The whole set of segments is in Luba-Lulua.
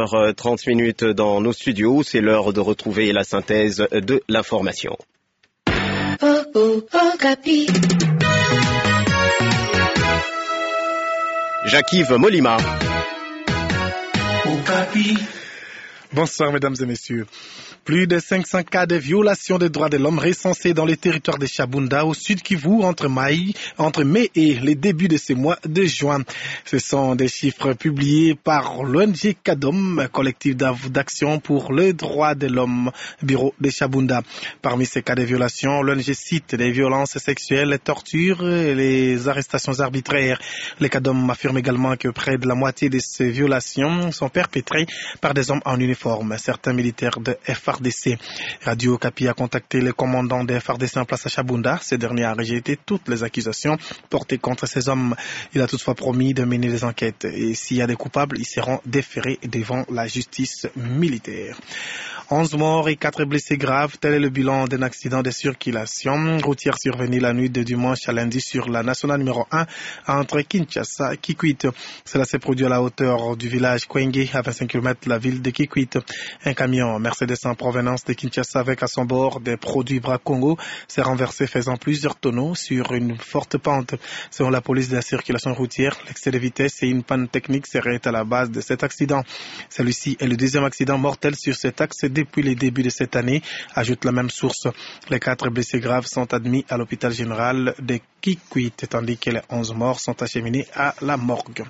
20h30 dans nos studios. C'est l'heure de retrouver la synthèse de l'information. Jacques-Yves Molima. Bonsoir mesdames et messieurs. Plus de 500 cas de violation des droits de l'homme recensés dans les territoires de Shabunda au sud Kivu entre mai, entre mai et les débuts de ce mois de juin. Ce sont des chiffres publiés par l'ONG CADOM, collectif d'action pour les droits de l'homme, bureau de Shabunda. Parmi ces cas de violation, l'ONG cite les violences sexuelles, les tortures et les arrestations arbitraires. Le CADOM affirme également que près de la moitié de ces violations sont perpétrées par des hommes en uniforme, certains militaires de FRDC. Radio Capi a contacté le commandant des FRDC en place à Chabunda. Ce dernier a rejeté toutes les accusations portées contre ces hommes. Il a toutefois promis de mener des enquêtes et s'il y a des coupables, ils seront déférés devant la justice militaire. 11 morts et 4 blessés graves, tel est le bilan d'un accident de circulation routière survenu la nuit de dimanche à lundi sur la nationale numéro 1 entre Kinshasa et Kikwit. Cela s'est produit à la hauteur du village Kwenge, à 25 km de la ville de Kikwit. Un camion Mercedes en provenance de Kinshasa avec à son bord des produits Bracongo s'est renversé faisant plusieurs tonneaux sur une forte pente. Selon la police de la circulation routière, l'excès de vitesse et une panne technique seraient à la base de cet accident. Celui-ci est le deuxième accident mortel sur cet axe depuis le début de cette année, ajoute la même source. Les quatre blessés graves sont admis à l'hôpital général de Kikwit, tandis que les 11 morts sont acheminés à la morgue.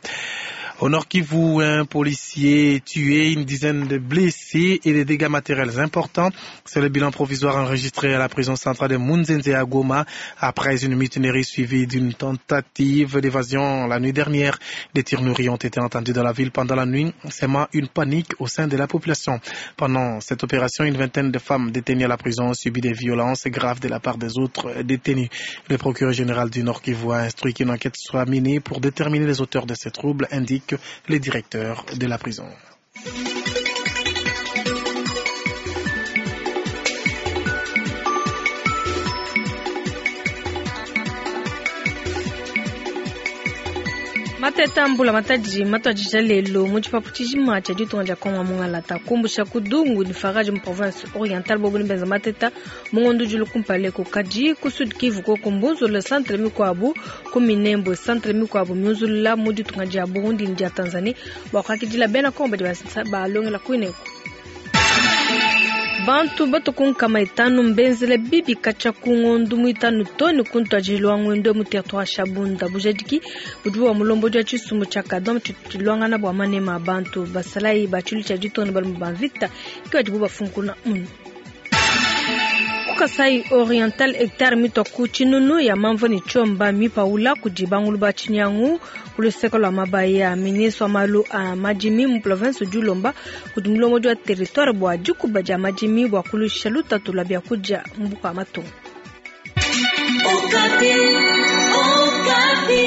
Au Nord Kivu, un policier tué, une dizaine de blessés et des dégâts matériels importants. C'est le bilan provisoire enregistré à la prison centrale de Munzenze à Goma après une mutinerie suivie d'une tentative d'évasion la nuit dernière. Des tirs nourris ont été entendus dans la ville pendant la nuit, sémant une panique au sein de la population. Pendant cette opération, une vingtaine de femmes détenues à la prison ont subi des violences graves de la part des autres détenus. Le procureur général du Nord Kivu a instruit qu'une enquête soit menée pour déterminer les auteurs de ces troubles, indique le directeur de la prison. Mateta mbula matadi matwadija lelo mu tshipapu tshijima tshia ditunga dia kongo mungalata kumbusha kudungu ni farage mu province orientale bobuni benza mateta mungondo julu kumpaleko kadi ku sud kivu koko mbunzula centre mikuabu ku minembwe centre mikuabu miunzulula mu ditunga dia burundi ni dia tanzanie bua kuakidila bena kongo badi balongela kuineko bantu batukunkama itanu mbenzele bibi katshia ku ngondu muitanu toni kuntuadijile wa ngwendo mu territoire Shabunda bujadiki budi bua mulombodi wa tshisumbu tshia kadom tshilwangana bua manema a bantu basalayi ba tshilu tshia ditongo balume ba mvita ke badibu bafunkuna munu Kasai Oriental hectare mitwa ku tshinunu ya mamvo ni tshiomba mipaula kudi bangulu ba tshinyangu ku luseke lua mabaya ministre wa malu a madimi mu province udi ulomba kudi mulombodi wa territoire bua dikuba dia madimi bua kulusha lutatu lua biakudia mu buka matunga. Okapi, Okapi.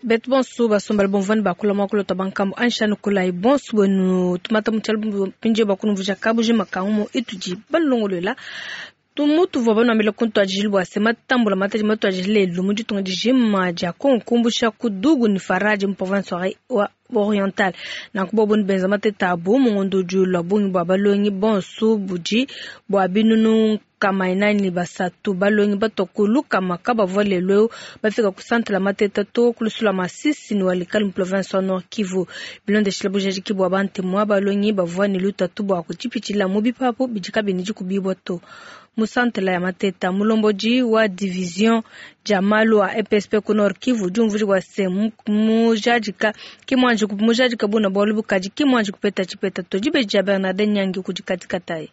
Betu bonso basombala bomvani bakula mwakula twa bankambo anshanu kulayi bonso bwenu tumata mutshalo pinje bakunumvuja kabuji makangu itudi balongolola tumutu vua banwambila kuntu ajili bua se matambula mataji matu ajili lelu mu ditunga dijima dia kongo kumbusha kudugu ni faraji mu province wa oriental nanku bobo ni benza mateta abu mungondo udi ulua bungi bua balongi bonso budi bua binunu kama inani basatu balongi batoku lukama kabavua lelu eu bafika ku centre la mateta to kulusula masisi ni walikali mu province wa Nord Kivu bilondeshila bujadiki bua bantemua balongi bavua ni lutatu bua kutshipitshila mu bipapu bidi kabini dikubibua to mu centre ya mateta mulombodi wa division dia malu a EPSP ku Nord Kivu diumvudi bua se mujadika kimwanji mujadika buna bualu bukadi kimwanji kupeta tshipeta to dibeji dia Bernard Nyangi kudi katikatayi.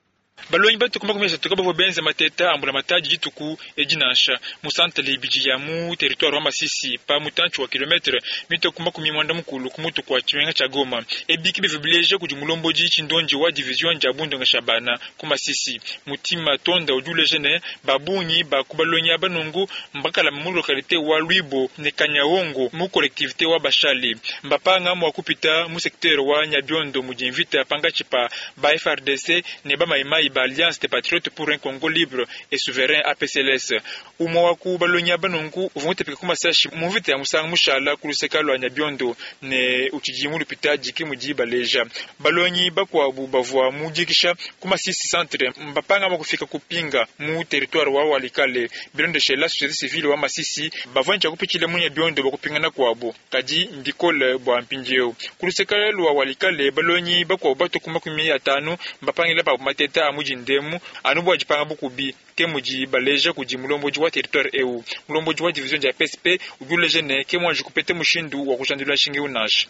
Balongi batu kuma tuka bavua benza mateta ambula mataji dituku edinansha mu centre ibidi ya mu territoire wa Masisi pa mutantshi wa kilometre mito kuma kumi mwanda mukulu ku mutu kwa tshimenga tshia Goma ebiki bivua bileja kudi mulombodi tshindonji wa division dia bundonga shabana ku Masisi mutima tonda udi uleja ne babungi ba ku balongi aba nungu mbakala mu localité wa Lwibo ne Kanyawongo mu collectivité wa Bashali mbapanga mwa kupita mu secteur wa Nyabiondo mu mvita pangatshi pa ba FRDC ne ba maimai basalayi ba Alliance des Patriotes pour un Congo Libre et Souverain APCLS. Umue wa ku balongi aba nunku uvua mutapike ku masashi mu mvita ya musangu mushala ku luseka lua Nyabiondo ne utshidi mu lupitadi, ke mudi baleja. Balongi bakuabu bavua mu dikisha ku Masisi Centre mbapanga mua kufika ku Pinga mu territoire wa Walikale. Bilondeshela société civile wa Masisi, bavua ne tshia kupitshila mu Nyabiondo bua kupingana kuabu, kadi mbikole bua mpindieu. Ku luseka lua Walikale, balongi bakuabu batue ku 50 mbapangile pabu mateta a mu dindemu anu bua dipanga bukubi, ke mudi baleja kudi mulombodi wa territoire eu. Mulombodi wa division dia PSP udi uleja ne ke muanji kupeta mushindu wa kujandula nshinga eu nansha.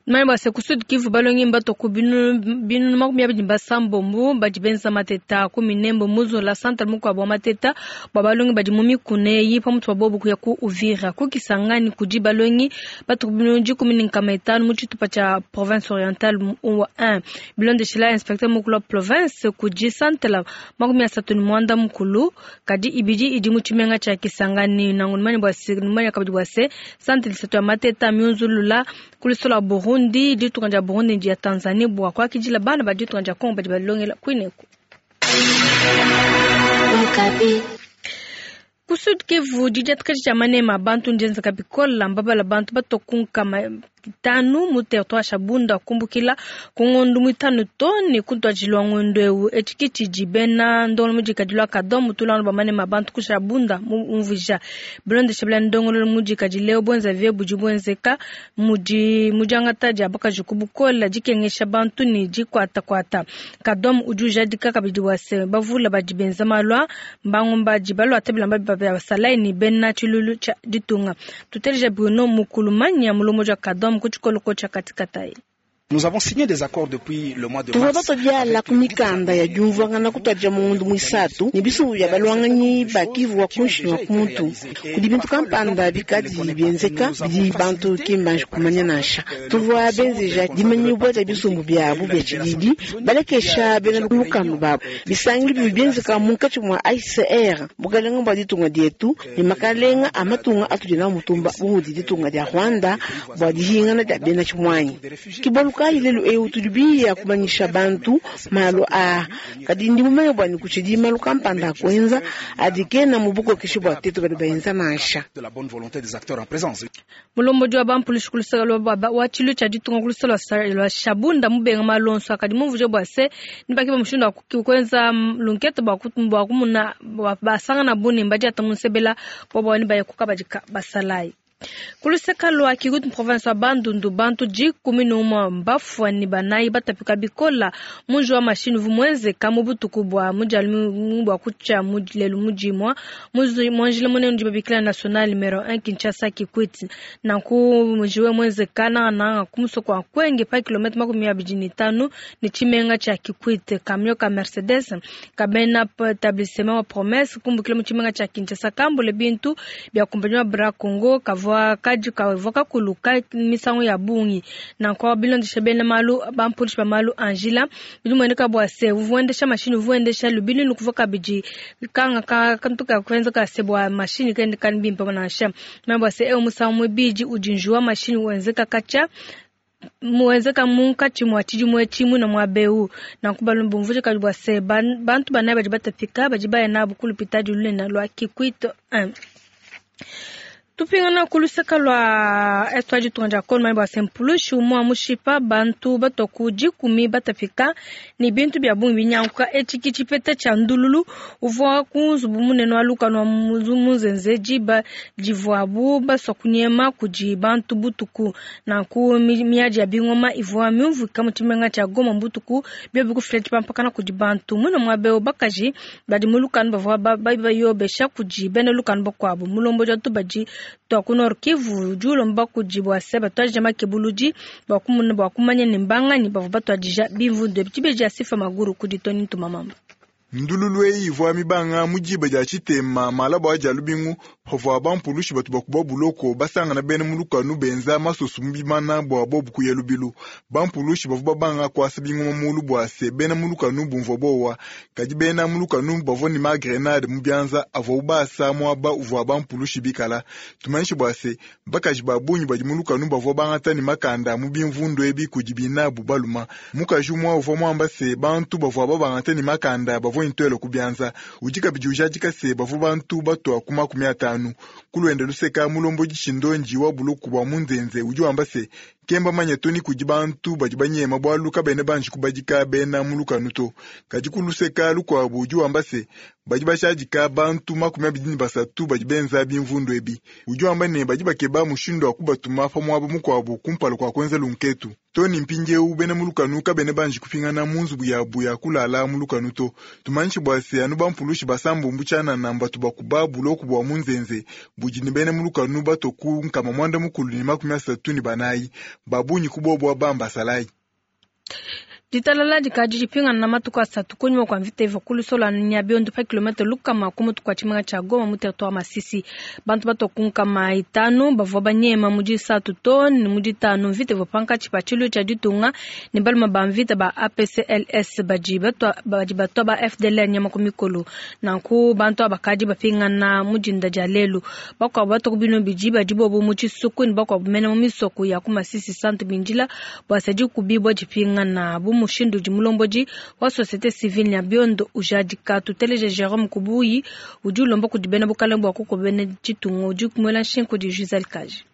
Manye bua se ku Sud Kivu balongi mbatua ku binunu 26 badi benza mateta ku Minembwe muzola centre mukuabu wa mateta bua balongi badi mu mikuna eyi pamutu pa bobu kuya ku Uvira. Ku Kisangani kudi balongi batua ku binunu 510 mu tshitupa tshia province orientale wa 1. Bilondeshila inspecteur mukulu wa province kudi centre 36 kadi ibidi idi mu tshimenga tshia Kisangani. Nangu numanye bua se, numanye kabidi bua se centre isatu ya mateta miunzulula ku luseke lua Burundi, ditunga dia Burundi ne dia Tanzanie bua kuakidila bana ba ditunga dia Congo badi balongela kuineku. Ku Sud Kivu, didiatakaja dia manema a bantu ndienzeka bikole, mbabala bantu batua ku 500 mu territoire wa Shabunda kumbukila ku ngondo muitanu to ne ku ntuadijilu wa ngondo eu. Etshi ke tshidi bena ndongoluelu mudikadile wa Kadom mutulangano bua manema a bantu ku Shabunda mu umvuija. Bilondeshe bena ndongoluelu mudikadile eu, buenzavi budi buenzeka mudi mu diangata dia bakaji ku bukole, dikengesha bantu ne dikuatakuata. Kadom udi ujadika kabidi bua se bavule badi benza malu a mbangumba badi baluata bilamba bia basalayi ne bena tshilulu tshia ditunga. Tuteleja Bruno Mukulumanya mulombodi wa Kadom ku tshikoloko tshia katikatayi. Nous avons signé des accords depuis le mois de Tuvua mars. batua biala ku mikanda ya diumvuangana kutuadija mu ngondo muisatu ne bisumbu bia balwanganyi ba Kivu wa kunshi ne wa kumutu. Kudi bintu kampanda bikadi bienzeka bidi bantu ki mbanji kumanya nansha. Tuvua benzeja dimanyibua dia bisumbu biabu bia tshididi balekesha bena lukanu babu. Bisangilu bivua bienzeka munkatshi mua HCR, bukalenga bua ditunga dietu ne makalenga a matunga atudi nawu mutumba bu mudi ditunga dia Rwanda bua dihingana dia bena tshimuanyi. Ke bualu kayi lelu eu tudi biya kumanyisha bantu malu aa, kadi ndi mumanye bua ne kutshidi malu kampanda a kuenza adi kena mu bukokeshi bua tetu badi baenza nansha. De la bonne volonté des acteurs en présence. Mulombodi wa bampulushi ku luseke lua ba- wa tshilu tshia ditunga ku luseke lua sa- lua Shabunda mubenga malu onso akadi mumvuije bua se ne bakeba mushindu wa ku- kuenza lunkete bua ku- bua kumuna bua basangana bune mbadiata mu nsebela bua bua ne baye ku kabadi ka basalayi. Ku luseke lua Kikwit province wa Bandundu bantu 11 mbafua ne banayi batapika bikola munji wa mashini uvua muenzeka mu butuku bua mudialu bua kutshia mu lelu mu dimua mu njila munene udi babikila national numero 1 Kinshasa Kikwit. Nanku mujiwe muenzeka nangananga ku musoko wa Kwenge pa kilomètre 25 ne tshimenga tshia Kikwit. Camion ka Mercedes kabena établissement wa Promesse kumbukila mu tshimenga tshia Kinshasa kambule bintu bia kumpanya wa Bra Congo kavua kadi kavua kakuluka misangu ya bungi. Nanku bilondesha bena malu bampulushi ba malu a njila bidi mueneka bua se uvua wendesha mashini uvua wendesha lubilu lukuvua kabidi kanga ka kantu ka kuenza ka se bua mashini kende kani bimpe nansha meme bua se eu musangu muibidi udi njuwa mashini wenzeka katshia muenzeka munkatshi mua tshidimu etshi muina mua beu. Nanku balombi bumvuije kabidi bua se bantu banayi badi batapika badi baya nabu ku lupitadi lunene lua Kikwit 1. Tupingana ku luseke lua est wa ditunga dia Kongo manye bua se mpulushi umue mushipa bantu batua ku 10 batapika ne bintu bia bungi binyanguka. Etshi ke tshipeta tshia ndululu uvua ku nzubu munene wa lukanu wa Munzenze diba divuabu basua kunyema kudi bantu butuku. Nanku miadi ya bingoma ivua miumvuika mu tshimenga tshia Goma butuku biobi kufila tshipampakana kudi bantu. Muine muaba eu bakaji badi mu lukanu bavua bayobesha kudi bena lukanu bakuabu. Mulombodi wa tubadi tua ku Nord Kivu udi ulomba kudi bua se batuadija makebuludi bua kumuna bua kumanya ne mbanganyi bavua batuadija bimvundu ebi. Tshibeji ya Sifa Maguru kudi Tony Ntumamamba. Ndululu eyi ivua mibanga mu diba dia tshitema malaba dia lubingu pavua bampulushi batu bakuba buloko basangana bena mu lukanu benza masoso mu bimana bua bobu kuya lubilu. Bampulushi bavua babanga kuasa bingoma mulu bua se bena mu lukanu bumvua bowa, kadi bena mu lukanu bavua ne magrenade mu bianza avua basa muaba uvua bampulushi bikala. Tumanyishe bua se bakaji ba bungi badi mu lukanu bavua bangata ne makanda mu bimvundu ebi kudi binabu baluma. Mukaji umue uvua muamba se bantu bavua babangata ne makanda bavua ntwelo ku bianza. Udi kabidi ujadika se bavua bantu batua ku 50. Kulwenda luseka mulombodi Tshindonji wa buluku bua Munzenze udi wamba se kemba manya to ni kudi bantu badi banyema bwalu kabene banji kubadika bena mu lukanu to. Kadi kuluseka lukuabu udi wamba se badi bashadika bantu 23 badi benza bimvundu ebi. Udi wamba ne badi bakeba mushindu wa kubatuma pa muaba mukuabu kumpala kua kuenza lunketu. Tony mpindieu bena mu lukanu kabene banji kupingana mu nzubu yabu ya kulala mu lukanu to. Tumanyishe bua se anu bampulushi basambombo tshianana mbatu bakuba buloku bua Munzenze budi ne bena mu lukanu bato ku 934 babunyi kubobwa bamba salai. Ditalala dikadi dipingana na matuku asatu kunyima kua mvita ivua kulusola Nyabiondo pa kilomita lukama ku mutu kua tshimenga tshia Goma mu territoire Masisi. Bantu batua ku 500 bavua banyema mu disatu to ne mu ditanu mvita ivua pankatshi pa tshilu tshia ditunga ne baluma ba mvita ba APCLS badi batua ba FDLR nyama ku mikolo. Nanku bantu aba bakadi bapingana mu dinda dia lelu. Bakuabu batua ku bino bidi badi bobu mu tshisuku ne bakuabu mene mu misoko ya ku Masisi Centre bindila bua sadi kubibwa dipingana bu mushindu udi mulombodi wa société civile Nyabiondo ujadika. Tuteleje Jerome Kubuyi udi ulomba kudi bena bukalenge bua kukobene ditunga udi kumwela nshinku di Gisèle Kaji.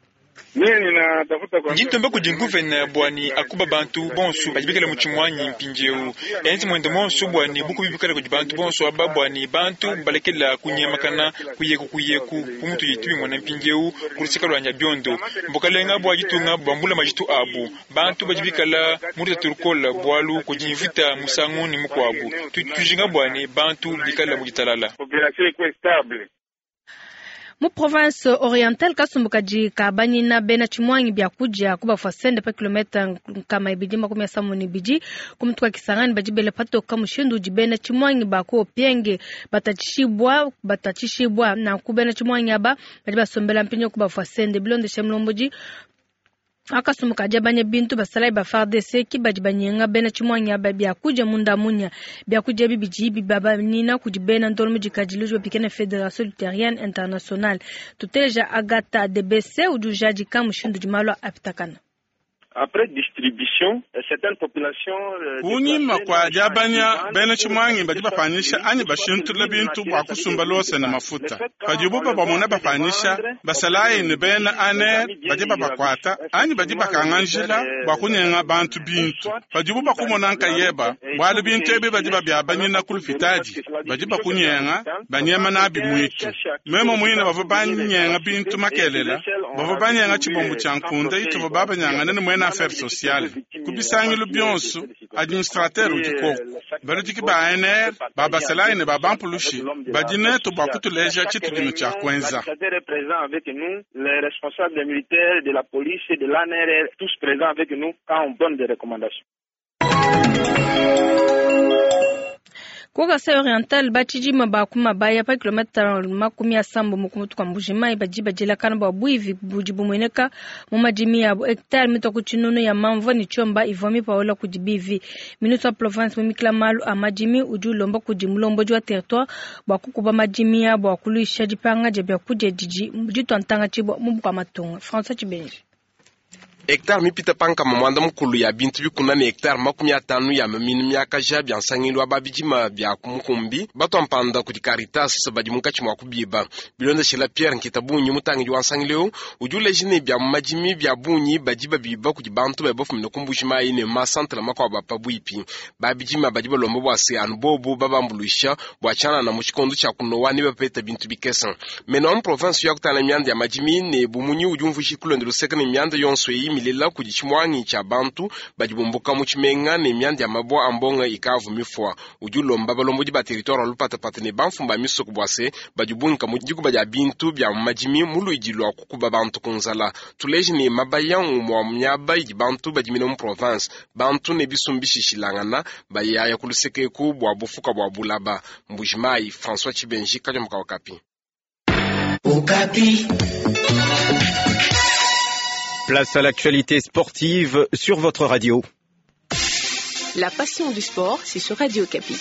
Nditomba kudi nguvena bwani akuba bantu bonso badi bikala mu tshimwanyi mpindieu enzi mwende monso bwani bukubi bikala kudi bantu bonso aba bwani bantu balekela kunyemakana kuyeku kuyeku kumutu yitu bimona mpindieu kuluseka lwa Nyabiondo mbukalenga bwa ditunga bambula majitu abu bantu badi bikala mu lutatu bwalu kudi mvita musangu ni mukuabu tujinga bwani bantu bikala mu ditalala. Mu province orientale kasumbu kadi kabanyina bena tshimwangi bya kudia kubafua sende pa kilomita 272 ku mutu wa Kisangani badi bele patoka mushindu udi bena tshimwangi ba ku Opienge batatshishibwa nanku bena tshimwangi aba badi basombela mpinyo kubafua sende bilondeshe mulombodi akasumbu kadi abanya bintu basalai ba FARDC ki badi banyenga bena tshimwangi aba bya kudia munda munya bya kudia bibidi bibabanina kudi bena ndolo mudikadi luji bapikene Fédération Luthérienne Internationale. Tuteleja Agatha DBC udi ujadika mushindu udi malu apitakana. Après distribution, certaines populations kunyima kwa diabanya bena tshimwangi badi bapanyisha anyi bashintula bintu bua kusumba lose na mafuta padibu babamona bapanyisha basalayi ne bena aner badi babakwata anyi badi bakanga njila bua kunyenga bantu bintu padibu bakumona nkayeba bwalu bintu ebi badi babiabanyina ku lupitadi badi bakunyenga banyema nabi mwitu memo mwine bavua banyenga bintu makelela bavua banyenga tshibombo tshia nkunda ituva babanyangana ne mwena affaires sociales kubisangilu bionso administrateur udi koku baludiki ba ANR babasalayi ne babampulushi badi netu bua kutuleja tshitudino tshia kuenza. Ku Kasai Oriental batshidima ba ku mabaya pa kilomita 70 mu kumutu kwa Mbuji-Mayi badi badilakana bua buivi budi bumueneka mu madimi yabo hectare mitwa ku tshinunu ya mamvua ne tshiomba ivua mipaola kudi bivi. Ministre wa province mumikila malu a madimi udi ulomba kudi mulombodi wa territoire bua kukuba madimi yabo akuluisha dipanga dia biakudia didi ditua ntanga tshibua mu bukua matunga. François Tshibenji. Hectare mipita pankama mwanda mukulu ya bintu bikuna ne hectare 50 ya maminu miakaja bya nsangilu ababidima bya kumukumbi batwa mpanda kudi Caritas badi munkatshi mua kubiba bilondeshela Pierre Nkitabunyi mutangidi wa nsangileu udi uleja ne bya madimi bya bunyi badi babiba kudi bantu badi bafumina ku Mbuji-Mayi ne masantre makuabu apa bwipi babidima badi balomba bua se anu bobu babambuluisha bua tshianana mu tshikondo tshia kunowa ne bapeta bintu bikese meno mu province ya kutana mianda ya madimi ne bumunyi udi umvuisha kulonda luseka ne mianda yonso eyi milela kudi tshimwangi tshia bantu badi bumbuka mu tshimenga ne mianda ya mabwa a mbonga ikavu mifua. Udi ulomba balombodi ba territoire wa lupatapata ne bamfumu ba misoko bua se badi bunka mu dikuba dia bintu bia mu madimi mu luidi lua kukuba bantu ku nzala. Tuleje ne mabaya ngumue wa miaba idi bantu badimina mu province, bantu ne bisumbu bishishilangana bayaya ku luseke eku bua bufuka bua bulaba. Mbujimayi François Tshibenji Kadiombo ka Okapi. Okapi. Place à l'actualité sportive sur votre radio. La passion du sport, c'est sur Radio Okapi.